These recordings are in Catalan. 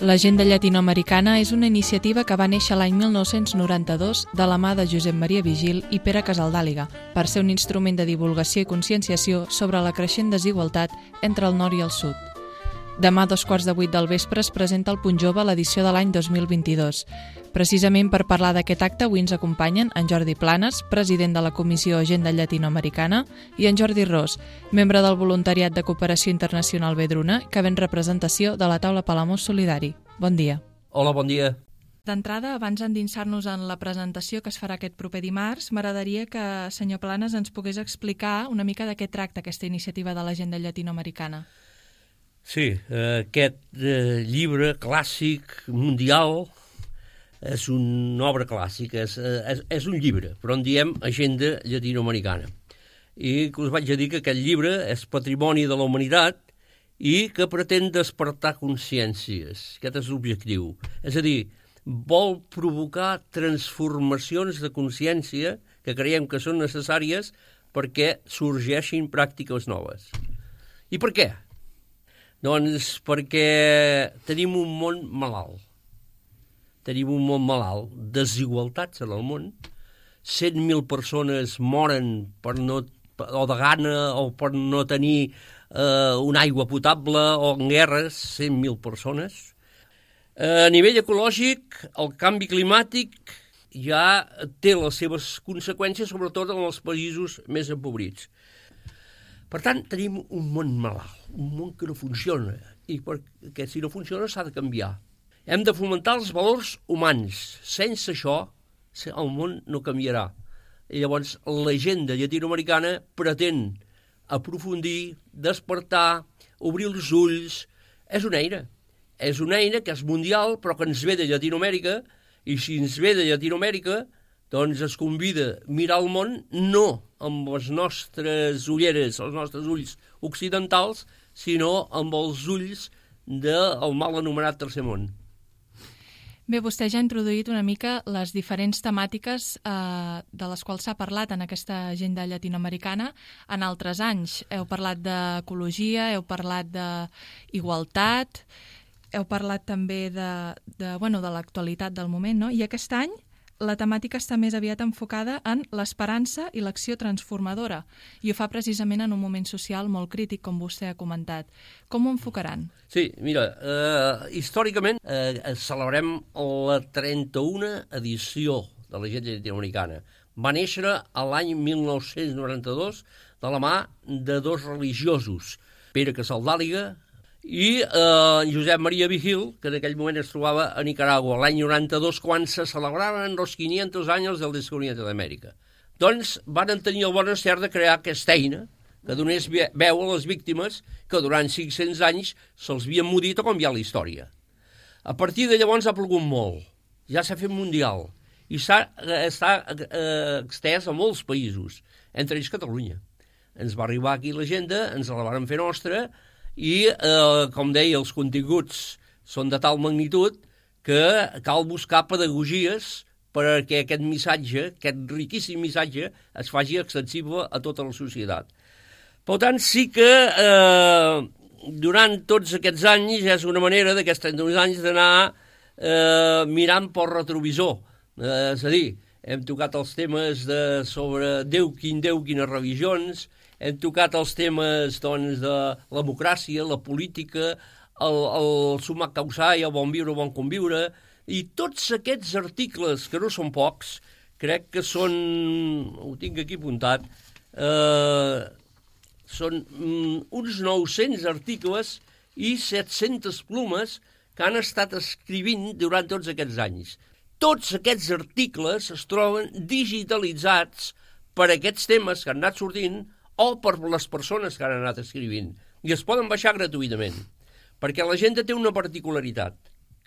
L'Agenda Llatinoamericana és una iniciativa que va néixer l'any 1992 de la mà de Josep Maria Vigil i Pere Casaldàliga per ser un instrument de divulgació i conscienciació sobre la creixent desigualtat entre el nord i el sud. Demà a 7:15 del vespre es presenta al Punt Jove l'edició de l'any 2022. Precisament per parlar d'aquest acte avui ens acompanyen en Jordi Planes, president de la Comissió Agenda Llatinoamericana, i en Jordi Ros, membre del Voluntariat de Cooperació Internacional Vedruna, que ven representació de la taula Palamós Solidari. Bon dia. Hola, bon dia. D'entrada, abans d'endinsar-nos en la presentació que es farà aquest proper dimarts, m'agradaria que, senyor Planes, ens pogués explicar una mica de què tracta aquesta iniciativa de l'Agenda Llatinoamericana. Sí, aquest llibre clàssic mundial és una obra clàssica, és un llibre, però en diem Agenda Llatinoamericana. I us vaig a dir que aquest llibre és patrimoni de la humanitat i que pretén despertar consciències. Aquest és l'objectiu. És a dir, vol provocar transformacions de consciència que creiem que són necessàries perquè sorgeixin pràctiques noves. I per què? Doncs perquè tenim un món malalt. Tenim un món malalt, desigualtats en el món. 100.000 persones moren o de gana o per no tenir una aigua potable o en guerres, 100.000 persones. A nivell ecològic, el canvi climàtic ja té les seves conseqüències, sobretot en els països més empobrits. Per tant, tenim un món malalt, un món que no funciona, i perquè si no funciona s'ha de canviar. Hem de fomentar els valors humans. Sense això, el món no canviarà. I llavors, l'agenda llatinoamericana pretén aprofundir, despertar, obrir els ulls. És una eina que és mundial, però que ens ve de Llatinoamèrica, i si ens ve de Llatinoamèrica, doncs es convida a mirar el món no amb les nostres ulleres, els nostres ulls occidentals, sinó amb els ulls del mal anomenat Tercer Món. Bé, vostè ja ha introduït una mica les diferents temàtiques de les quals s'ha parlat en aquesta agenda llatinoamericana en altres anys. Heu parlat d'ecologia, heu parlat d'igualtat, heu parlat també de l'actualitat del moment, no? I aquest any la temàtica està més aviat enfocada en l'esperança i l'acció transformadora, i ho fa precisament en un moment social molt crític, com vostè ha comentat. Com ho enfocaran? Sí, mira, històricament celebrem la 31a edició de l'Agenda Llatinoamericana. Va néixer l'any 1992 de la mà de dos religiosos, Pere Casaldàliga i Josep Maria Vigil, que en aquell moment es trobava a Nicaragua, l'any 92, quan se celebraven els 500 anys del descobriment d'Amèrica. Doncs van tenir el bon encert de crear aquesta eina que donés veu a les víctimes que durant 500 anys se'ls havien mudit o canviat la història. A partir de llavors ha plogut molt, ja s'ha fet mundial, i està extès a molts països, entre ells Catalunya. Ens va arribar aquí l'agenda, ens la vàrem fer nostra, i, com deia, els continguts són de tal magnitud que cal buscar pedagogies perquè aquest missatge, aquest riquíssim missatge, es faci extensible a tota la societat. Per tant, sí que durant tots aquests anys ja és una manera d'aquests 32 anys d'anar mirant pel retrovisor. És a dir, hem tocat els temes sobre Déu, quines religions, hem tocat els temes doncs, de la democràcia, la política, el sumar causar i el bon viure, bon conviure, i tots aquests articles, que no són pocs, crec que són, ho tinc aquí apuntat, són uns 900 articles i 700 plomes que han estat escrivint durant tots aquests anys. Tots aquests articles es troben digitalitzats per aquests temes que han anat sortint o per les persones que han anat escrivint. I es poden baixar gratuïtament, perquè l'agenda té una particularitat,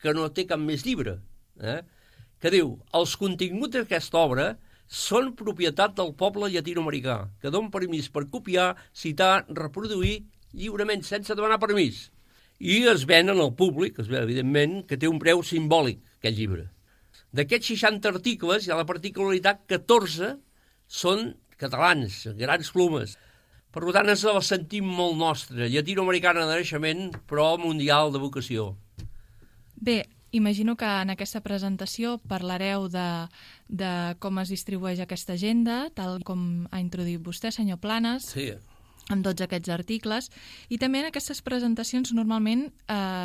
que no té cap més llibre, que diu, els continguts d'aquesta obra són propietat del poble llatinoamericà, que don permís per copiar, citar, reproduir lliurement, sense demanar permís. I es ven al públic, evidentment, que té un preu simbòlic, aquest llibre. D'aquests 60 articles hi ha la particularitat que 14 són catalans, grans plomes. Per tant, ens la sentim molt nostra, llatinoamericana de naixement, però mundial de vocació. Bé, imagino que en aquesta presentació parlareu de com es distribueix aquesta agenda, tal com ha introduït vostè, senyor Planes, Sí. amb tots aquests articles, i també en aquestes presentacions normalment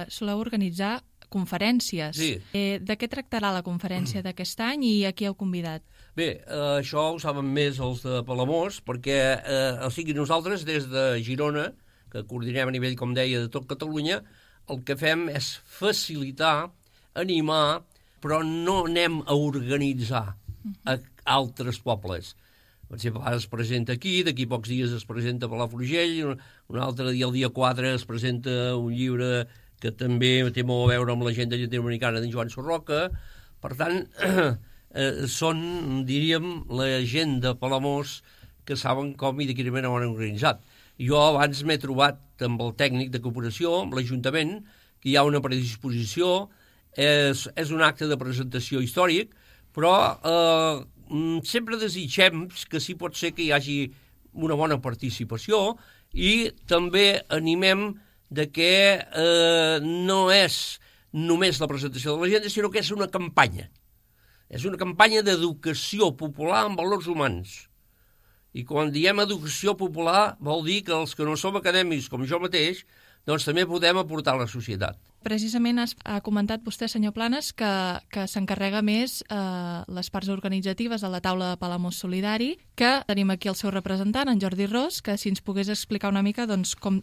soleu organitzar conferències. Sí. De què tractarà la conferència d'aquest any i a qui heu convidat? Bé, això ho saben més els de Palamós, perquè o sigui, nosaltres des de Girona, que coordinem a nivell, com deia, de tot Catalunya, el que fem és facilitar, animar, però no anem a organitzar a altres pobles. Per exemple, ara es presenta aquí, d'aquí pocs dies es presenta a Palafrugell, un altre dia, el dia 4, es presenta un llibre que també té molt a veure amb l'agenda llatinoamericana d'en Joan Sorroca. Per tant, són, diríem, la gent de Palamós que saben com i de quina manera ho han organitzat. Jo abans m'he trobat amb el tècnic de cooperació, amb l'Ajuntament, que hi ha una predisposició, és un acte de presentació històric, però sempre desitgem que sí pot ser que hi hagi una bona participació i també animem de que no és només la presentació de l'agenda, sinó que és una campanya. És una campanya d'educació popular en valors humans. I quan diem educació popular vol dir que els que no som acadèmics, com jo mateix, doncs també podem aportar a la societat. Precisament ha comentat vostè, senyor Planes, que s'encarrega més les parts organitzatives de la taula de Palamós Solidari, que tenim aquí el seu representant, en Jordi Ros, que si ens pogués explicar una mica doncs, com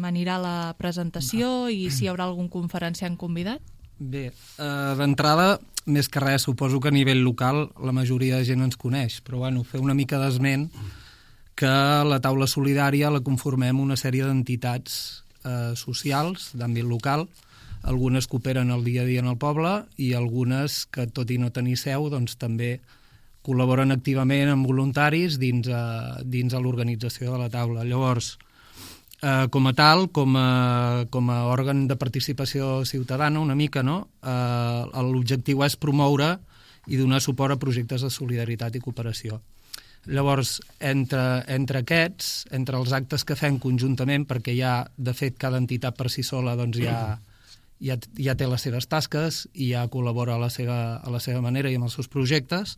anirà la presentació i si hi haurà algun conferenciant convidat. Bé, d'entrada, més que res, suposo que a nivell local la majoria de gent ens coneix, però bueno, fer una mica d'esment que la taula solidària la conformem una sèrie d'entitats socials d'àmbit local, algunes que operen el dia a dia en el poble i algunes que, tot i no tenir seu, doncs també col·laboren activament amb voluntaris dins de l'organització de la taula. Llavors, com a tal, com a òrgan de participació ciutadana, una mica, no? L'objectiu és promoure i donar suport a projectes de solidaritat i cooperació. Llavors, entre aquests, entre els actes que fem conjuntament, perquè ja, de fet, cada entitat per si sola doncs, ja té les seves tasques i ja col·labora a la seva manera i amb els seus projectes,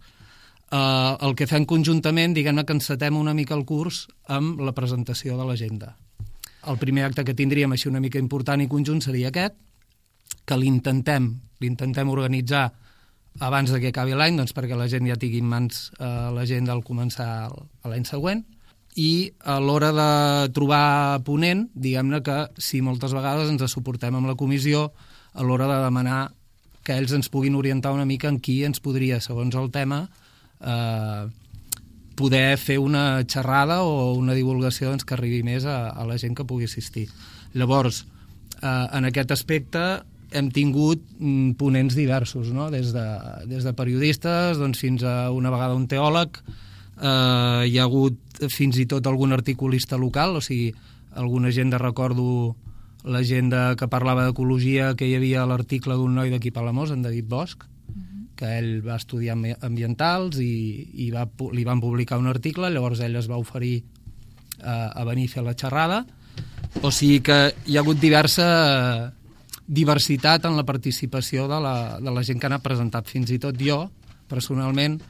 el que fem conjuntament, diguem-ne que encetem una mica el curs amb la presentació de l'agenda. El primer acte que tindríem així una mica important i conjunt seria aquest, que l'intentem organitzar abans que acabi l'any, doncs perquè la gent ja tingui en mans l'agenda al començar l'any següent, i a l'hora de trobar ponent, diguem-ne que si moltes vegades ens suportem amb la comissió a l'hora de demanar que ells ens puguin orientar una mica en qui ens podria, segons el tema, poder fer una xerrada o una divulgació doncs, que arribi més a la gent que pugui assistir. Llavors, en aquest aspecte hem tingut ponents diversos, no? Des de periodistes doncs, fins a una vegada un teòleg, hi ha hagut fins i tot algun articulista local, o sigui, alguna gent recordo la gent que parlava d'ecologia, que hi havia l'article d'un noi d'aquí Palamós, en David Bosch, que ell va estudiar ambientals i li van publicar un article, llavors ell es va oferir a venir a fer la xerrada. O sigui que hi ha hagut diversitat en la participació de la gent que n'ha presentat. Fins i tot jo, personalment,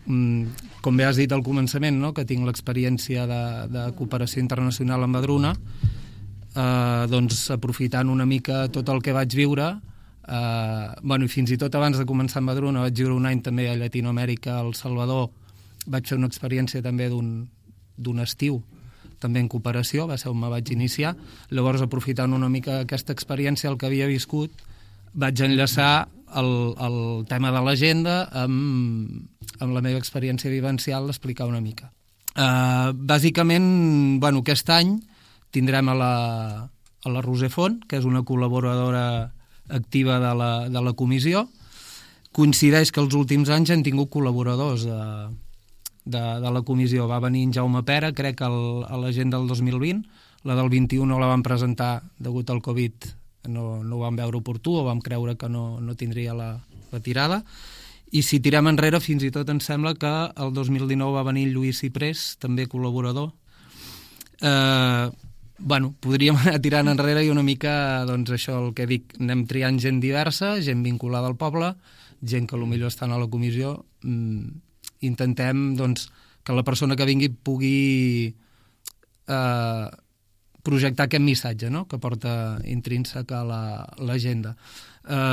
com bé has dit al començament, no? Que tinc l'experiència de cooperació internacional amb Madruna, doncs aprofitant una mica tot el que vaig viure, i fins i tot abans de començar amb Madruna vaig viure un any també a Llatinoamèrica, al Salvador, vaig fer una experiència també d'un estiu també en cooperació, va ser on me vaig iniciar. Llavors, aprofitant una mica aquesta experiència, el que havia viscut, vaig enllaçar el tema de l'agenda amb la meva experiència vivencial d'explicar una mica. Bàsicament, aquest any tindrem a la Roser Font, que és una col·laboradora activa de la comissió. Coincideix que els últims anys hem tingut col·laboradors de la comissió. Va venir en Jaume Pera, crec, a l'agenda del 2020. La del 21 no la vam presentar degut al Covid, no ho vam veure oportú o vam creure que no tindria la tirada. I si tirem enrere, fins i tot em sembla que el 2019 va venir Lluís Ciprés, també col·laborador. podríem anar tirant enrere i una mica, doncs això, el que dic, anem triant gent diversa, gent vinculada al poble, gent que potser estan a la comissió, intentem, doncs, que la persona que vingui pugui projectar aquest missatge, no?, que porta intrínsec a l'agenda.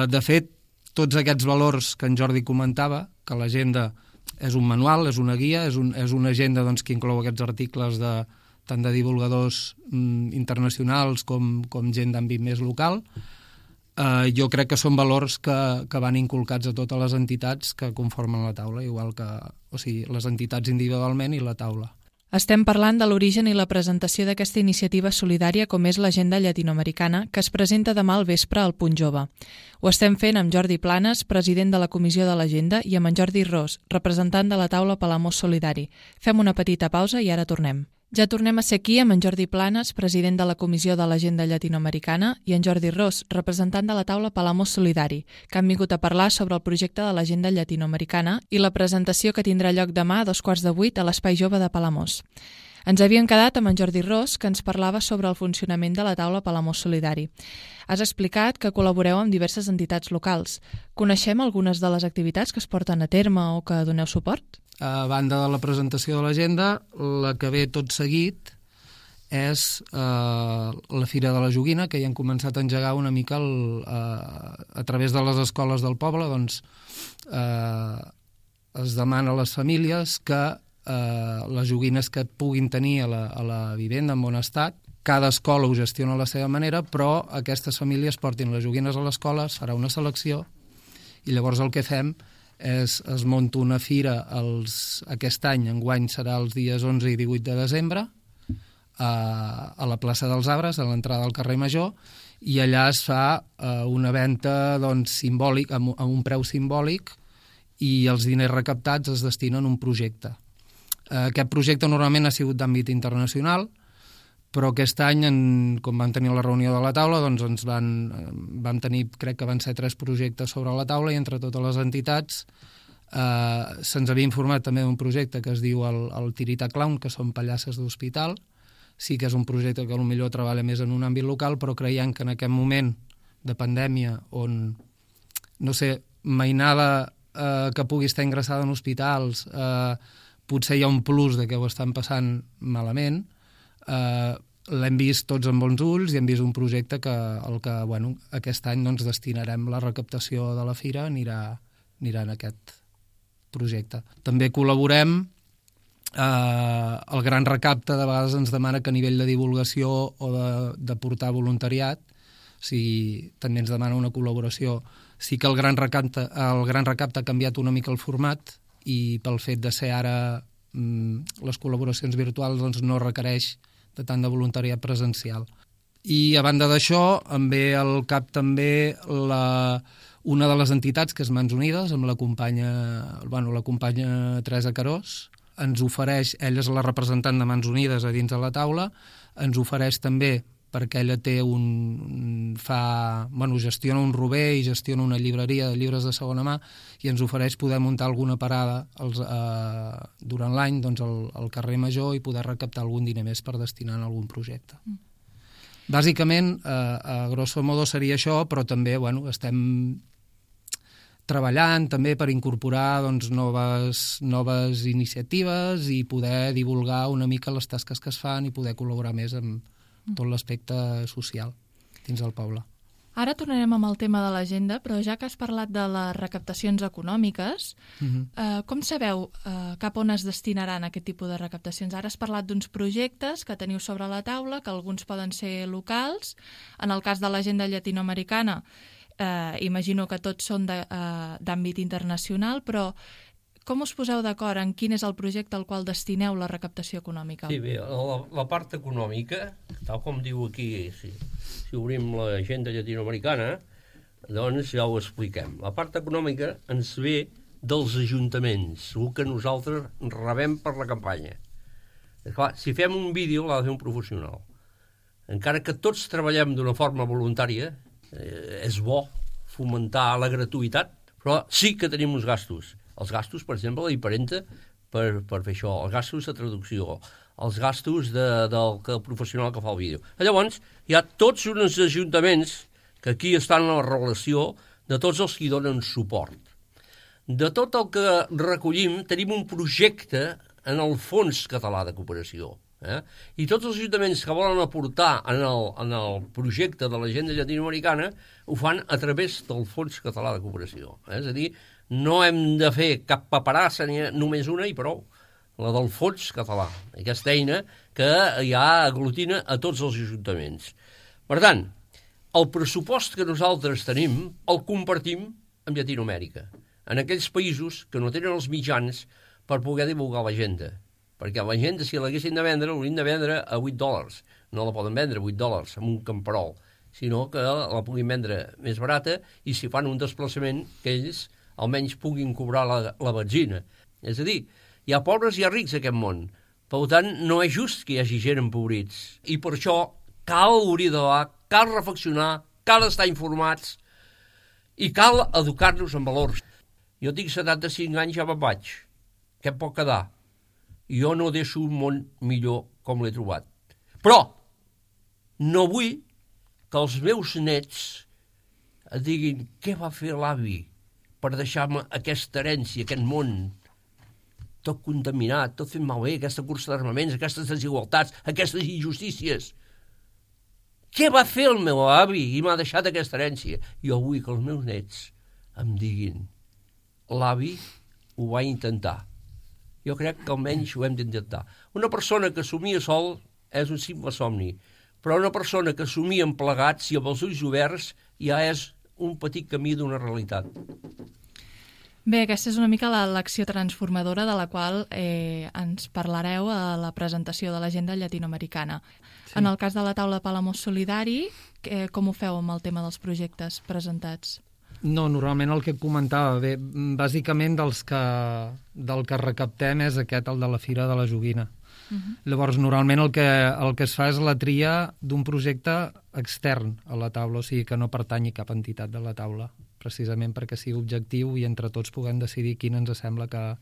De fet, tots aquests valors que en Jordi comentava, que l'agenda és un manual, és una guia, és una agenda, doncs, que inclou aquests articles tant de divulgadors internacionals com gent d'àmbit més local, jo crec que són valors que van inculcats a totes les entitats que conformen la taula, igual que, o sigui, les entitats individualment i la taula. Estem parlant de l'origen i la presentació d'aquesta iniciativa solidària com és l'Agenda Llatinoamericana, que es presenta demà al vespre al Punt Jove. Ho estem fent amb Jordi Planes, president de la Comissió de l'Agenda, i amb en Jordi Ros, representant de la taula Palamós Solidari. Fem una petita pausa i ara tornem. Ja tornem a ser aquí amb en Jordi Planes, president de la Comissió de l'Agenda Llatinoamericana, i en Jordi Ros, representant de la taula Palamós Solidari, que han vingut a parlar sobre el projecte de l'Agenda Llatinoamericana i la presentació que tindrà lloc demà a 7:15 a l'Espai Jove de Palamós. Ens havíem quedat amb en Jordi Ros, que ens parlava sobre el funcionament de la taula Palamós Solidari. Has explicat que col·laboreu amb diverses entitats locals. Coneixem algunes de les activitats que es porten a terme o que doneu suport? A banda de la presentació de l'agenda, la que ve tot seguit és la Fira de la Joguina, que ja han començat a engegar una mica a través de les escoles del poble. Doncs es demana a les famílies que les joguines que puguin tenir a la vivenda en bon estat, cada escola ho gestiona a la seva manera, però aquestes famílies portin les joguines a l'escola, es farà una selecció i llavors el que fem es munta una fira aquest any, enguany serà els dies 11 i 18 de desembre, a la plaça dels Arbres, a l'entrada del carrer Major, i allà es fa una venda, doncs, simbòlic, amb un preu simbòlic, i els diners recaptats es destinen a un projecte. Aquest projecte normalment ha sigut d'àmbit internacional, però aquest any, com vam tenir la reunió de la taula, doncs vam tenir, crec que van ser 3 projectes sobre la taula, i entre totes les entitats se'ns havia informat també d'un projecte que es diu el Tirita Clown, que són pallasses d'hospital. Sí que és un projecte que potser treballa més en un àmbit local, però creiem que en aquest moment de pandèmia on, no sé, mainada que pugui estar ingressada en hospitals, potser hi ha un plus de que ho estan passant malament, l'hem vist tots amb bons ulls i hem vist un projecte que aquest any doncs, destinarem la recaptació de la fira, anirà en aquest projecte. També col·laborem, el Gran Recapte de vegades ens demana que a nivell de divulgació o de portar voluntariat, també ens demana una col·laboració. Sí que el Gran Recapte ha canviat una mica el format, i pel fet de ser ara les col·laboracions virtuals doncs no requereix de tant de voluntariat presencial. I a banda d'això, em ve al cap també una de les entitats, que és Mans Unides, amb la companya Teresa Carós, ens ofereix, ella és la representant de Mans Unides a dins de la taula, ens ofereix també, perquè ella gestiona un rober i gestiona una llibreria de llibres de segona mà, i ens ofereix poder muntar alguna parada durant l'any al carrer Major i poder recaptar algun diner més per destinar a algun projecte. Bàsicament, a grosso modo seria això, però també estem treballant també per incorporar noves iniciatives i poder divulgar una mica les tasques que es fan i poder col·laborar més amb tot l'aspecte social dins del poble. Ara tornarem amb el tema de l'agenda, però ja que has parlat de les recaptacions econòmiques, com sabeu cap on es destinaran aquest tipus de recaptacions? Ara has parlat d'uns projectes que teniu sobre la taula, que alguns poden ser locals. En el cas de l'agenda llatinoamericana, imagino que tots són d'àmbit internacional, però com us poseu d'acord en quin és el projecte al qual destineu la recaptació econòmica? Sí, bé, la part econòmica, tal com diu aquí, si obrim l'agenda llatinoamericana, doncs ja ho expliquem. La part econòmica ens ve dels ajuntaments, el que nosaltres rebem per la campanya. Clar, si fem un vídeo l'ha de fer un professional. Encara que tots treballem d'una forma voluntària, és bo fomentar la gratuïtat, però sí que tenim uns gastos. Els gastos, per exemple, la impremta per fer això, els gastos de traducció, els gastos del professional que fa el vídeo. Llavors, hi ha tots uns ajuntaments que aquí estan en la relació de tots els que hi donen suport. De tot el que recollim, tenim un projecte en el Fons Català de Cooperació. I tots els ajuntaments que volen aportar en el projecte de l'agenda llatinoamericana ho fan a través del Fons Català de Cooperació. És a dir, no hem de fer cap paperassa, ni només una i prou, la del Fons Català, aquesta eina que ja aglutina a tots els ajuntaments. Per tant, el pressupost que nosaltres tenim el compartim amb Llatinoamèrica, en aquells països que no tenen els mitjans per poder divulgar l'agenda. Perquè l'agenda, si l'haguessin de vendre, l'haurien de vendre a $8. No la poden vendre a $8 amb un camperol, sinó que la puguin vendre més barata i si fan un desplaçament que ells almenys puguin cobrar la benzina. És a dir, hi ha pobres i hi ha rics a aquest món. Per tant, no és just que hi hagi gent empobrits. I per això cal obrir de debat, cal reflexionar, cal estar informats i cal educar-nos en valors. Jo tinc 75 anys, ja me'n vaig. Què em pot quedar? Jo no deixo un món millor com l'he trobat. Però no vull que els meus nets et diguin què va fer l'avi per deixar-me aquesta herència, aquest món tot contaminat, tot fent malbé, aquesta cursa d'armaments, aquestes desigualtats, aquestes injustícies. Què va fer el meu avi i m'ha deixat aquesta herència? Jo vull que els meus nets em diguin l'avi ho va intentar. Jo crec que almenys ho hem d'intentar. Una persona que somia sol és un simple somni, però una persona que somia plegats i amb els ulls oberts ja és un petit camí d'una realitat. Bé, aquesta és una mica l'acció transformadora de la qual ens parlareu a la presentació de l'agenda llatinoamericana. Sí. En el cas de la taula Palamós Solidari, com ho feu amb el tema dels projectes presentats? No, normalment el que comentava, bé, bàsicament del que recaptem és aquest, el de la Fira de la Joguina. Llavors, normalment el que es fa és la tria d'un projecte extern a la taula, o sigui que no pertanyi cap entitat de la taula, precisament perquè sigui objectiu i entre tots puguem decidir quin ens sembla que...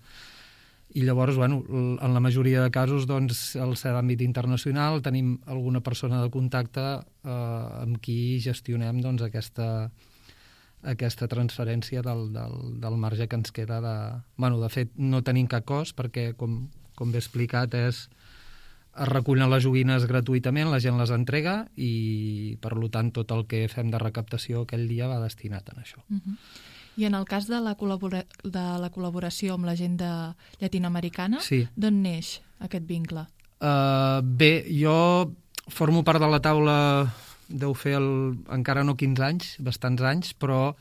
I llavors, bueno, en la majoria de casos, doncs, al ser d'àmbit internacional, tenim alguna persona de contacte amb qui gestionem doncs, aquesta transferència del marge que ens queda de... Bueno, de fet, no tenim cap cost perquè, com bé explicat, es recullen les joguines gratuïtament, la gent les entrega i, per tant, tot el que fem de recaptació aquell dia va destinat a això. I en el cas de la col·laboració amb l'agenda llatinoamericana, sí. D'on neix aquest vincle? Bé, jo formo part de la taula... deu fer encara no 15 anys, bastants anys, però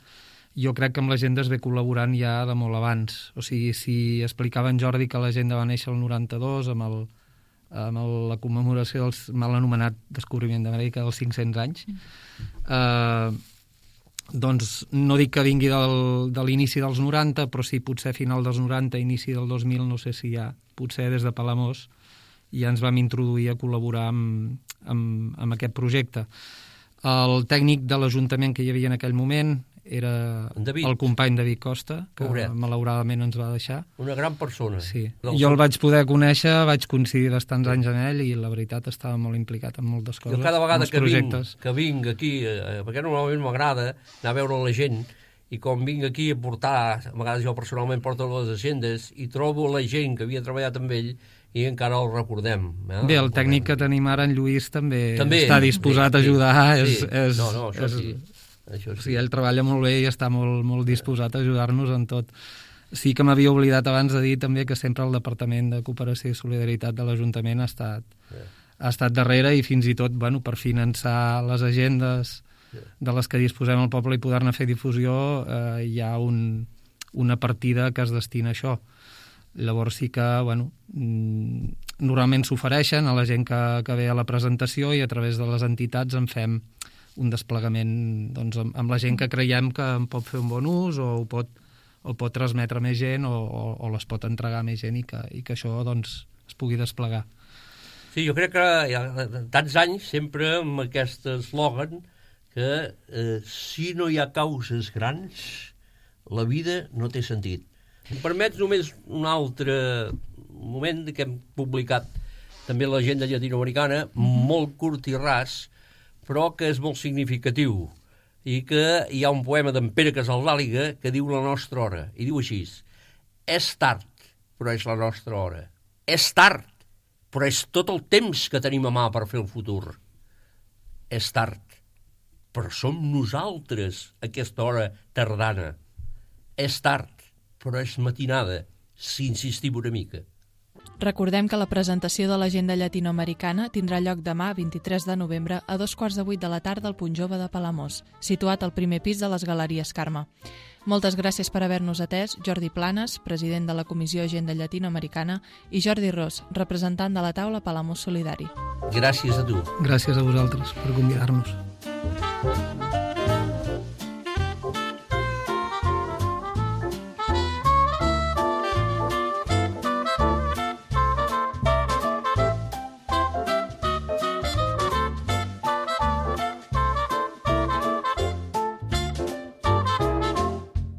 jo crec que amb l'agenda es ve col·laborant ja de molt abans. O sigui, si explicava en Jordi que l'agenda va néixer el 92 amb la commemoració del mal anomenat descobriment d'Amèrica dels 500 anys, doncs no dic que vingui de l'inici dels 90, però sí potser final dels 90, inici del 2000, no sé si ja, potser des de Palamós, ja ens vam introduir a col·laborar amb aquest projecte. El tècnic de l'Ajuntament que hi havia en aquell moment era el company David Costa, que malauradament ens va deixar. Una gran persona. Sí. Jo el vaig poder conèixer, vaig coincidir bastants anys amb ell i la veritat estava molt implicat en moltes coses. Jo cada vegada que vinc aquí, perquè normalment m'agrada anar a veure la gent, i com vinc aquí a portar, a vegades jo personalment porto les agendes, i trobo la gent que havia treballat amb ell i encara el recordem. Bé, el tècnic que tenim ara, en Lluís, també està disposat a ajudar. Això sí. Sí, ell treballa molt bé i està molt disposat a ajudar-nos en tot. Sí que m'havia oblidat abans de dir també que sempre el Departament de Cooperació i Solidaritat de l'Ajuntament ha estat darrere i fins i tot per finançar les agendes de les que disposem al poble i poder-ne fer difusió, hi ha una partida que es destina a això. Llavors sí que, normalment s'ofereixen a la gent que ve a la presentació i a través de les entitats en fem un desplegament amb la gent que creiem que en pot fer un bon ús o el pot transmetre més gent o les pot entregar més gent i que això es pugui desplegar. Sí, jo crec que hi ha tants anys sempre amb aquest eslògan que si no hi ha causes grans, la vida no té sentit. Em permets només un altre moment que hem publicat també l'agenda llatinoamericana, molt curt i ras, però que és molt significatiu, i que hi ha un poema d'en Pere Casaldàliga que diu la nostra hora, i diu així: és tard, però és la nostra hora. És tard, però és tot el temps que tenim a mà per fer el futur. És tard, però som nosaltres aquesta hora tardana. És tard, però és matinada, si insistim una mica. Recordem que la presentació de l'agenda llatinoamericana tindrà lloc demà, 23 de novembre, a 2:15 de la tarda al Punt Jove de Palamós, situat al primer pis de les Galeries Carme. Moltes gràcies per haver-nos atès Jordi Planes, president de la Comissió Agenda Llatinoamericana, i Jordi Ros, representant de la taula Palamós Solidari. Gràcies a tu. Gràcies a vosaltres per convidar-nos.